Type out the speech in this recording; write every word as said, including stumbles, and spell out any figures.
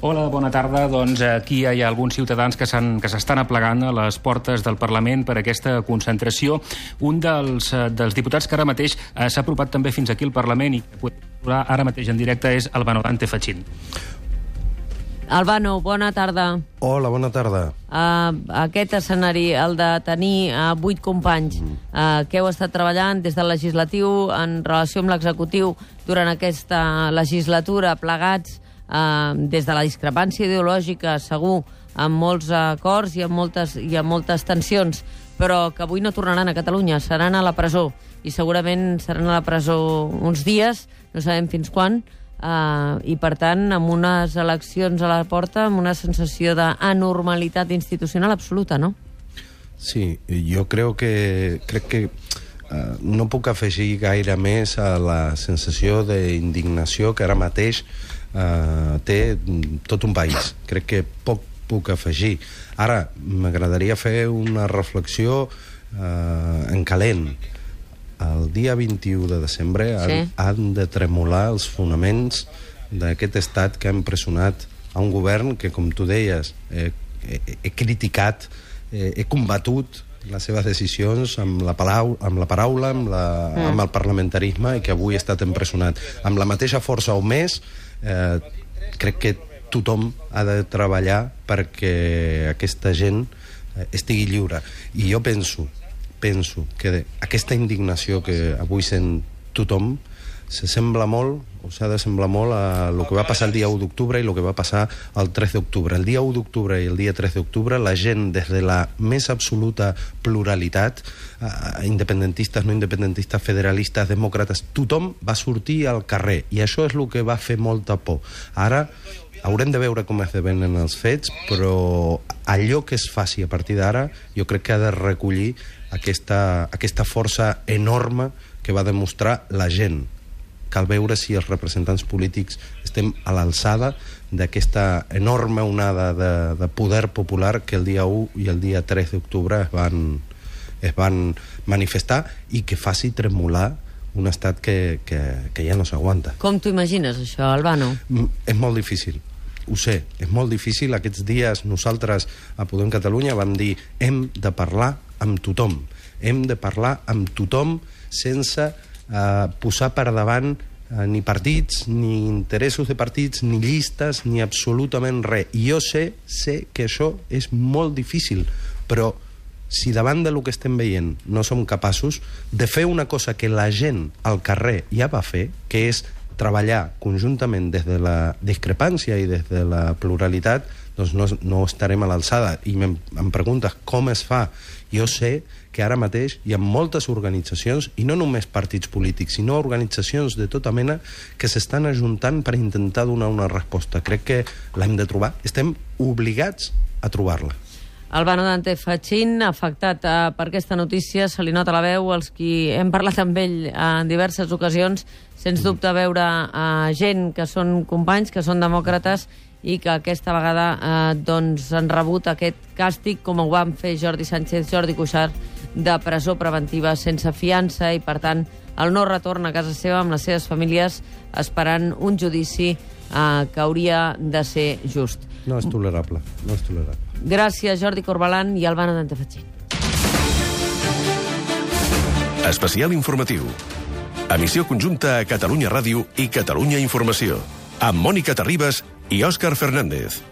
Hola, bona tarda. Doncs aquí hi ha alguns ciutadans que s'estan aplegant a les portes del Parlament per aquesta concentració. Un dels, dels diputats que ara mateix s'ha apropat també fins aquí al Parlament i que podem veure ara mateix en directe és Albano Dante Fachin. Albano, bona tarda. Hola, bona tarda. Uh, aquest escenari, el de tenir uh, vuit companys uh, que heu estat treballant des del legislatiu en relació amb l'executiu durant aquesta legislatura, plegats uh, des de la discrepància ideològica, segur, amb molts acords i amb moltes, i amb moltes tensions, però que avui no tornaran a Catalunya, seran a la presó, i segurament seran a la presó uns dies, no sabem fins quan, Uh, i per tant amb unes eleccions a la porta, amb una sensació d'anormalitat institucional absoluta, no? Sí, jo crec que crec que uh, no puc afegir gaire més a la sensació d'indignació que ara mateix uh, té tot un país. Crec que poc puc afegir. Ara, m'agradaria fer una reflexió uh, en calent. El dia vint-i-u de desembre han, sí. han de tremolar els fonaments d'aquest estat que ha empresonat a un govern que, com tu deies, he, he, he criticat, he, he combatut les seves decisions amb la, palau, amb la paraula, amb, la, mm. amb el parlamentarisme, i que avui ha estat empresonat. Amb la mateixa força o més, eh, crec que tothom ha de treballar perquè aquesta gent estigui lliure. I jo penso... penso que aquesta indignació que avui sent tothom se sembla molt, o s'ha de semblar molt a el que va passar el dia u d'octubre i el que va passar el tres d'octubre. El dia u d'octubre i el dia tres d'octubre la gent, des de la més absoluta pluralitat, eh, independentistes, no independentistes, federalistes, demòcrates, tothom va sortir al carrer, i això és el que va fer molta por. Ara haurem de veure com esdevenen els fets, però allò que es faci a partir d'ara jo crec que ha de recollir aquesta, aquesta força enorme que va demostrar la gent. Cal veure si els representants polítics estem a l'alçada d'aquesta enorme onada de, de poder popular que el dia u i el dia tres d'octubre es van, es van manifestar, i que faci tremolar un estat que, que, que ja no s'aguanta. Com t'ho imagines, això, Albano? És molt difícil. Ho sé, és molt difícil. Aquests dies nosaltres a Podem Catalunya vam dir hem de parlar amb tothom. Hem de parlar amb tothom sense eh, posar per davant eh, ni partits, ni interessos de partits, ni llistes, ni absolutament res. I jo sé, sé que això és molt difícil, però si davant del que estem veient no som capaços de fer una cosa que la gent al carrer ja va fer, que és treballar conjuntament des de la discrepància i des de la pluralitat, doncs no, no estarem a l'alçada. I em, em preguntes com es fa. Jo sé que ara mateix hi ha moltes organitzacions, i no només partits polítics, sinó organitzacions de tota mena que s'estan ajuntant per intentar donar una resposta. Crec que l'hem de trobar. Estem obligats a trobar-la. Albano Dante Fachin, afectat eh, per aquesta notícia, se li nota la veu. Els qui hem parlat amb ell en diverses ocasions, sens dubte veure eh, gent que són companys, que són demòcrates, i que aquesta vegada eh, doncs han rebut aquest càstig, com ho van fer Jordi Sánchez, Jordi Cuixart, de presó preventiva sense fiança, i per tant el no retorn a casa seva amb les seves famílies, esperant un judici eh, que hauria de ser just. No és tolerable, no és tolerable. Gràcies, Jordi Corbalan i Albano Dante Fachin. Especial informatiu. Emissió conjunta a Catalunya Ràdio i Catalunya Informació, amb Mònica Terribas i Òscar Fernández.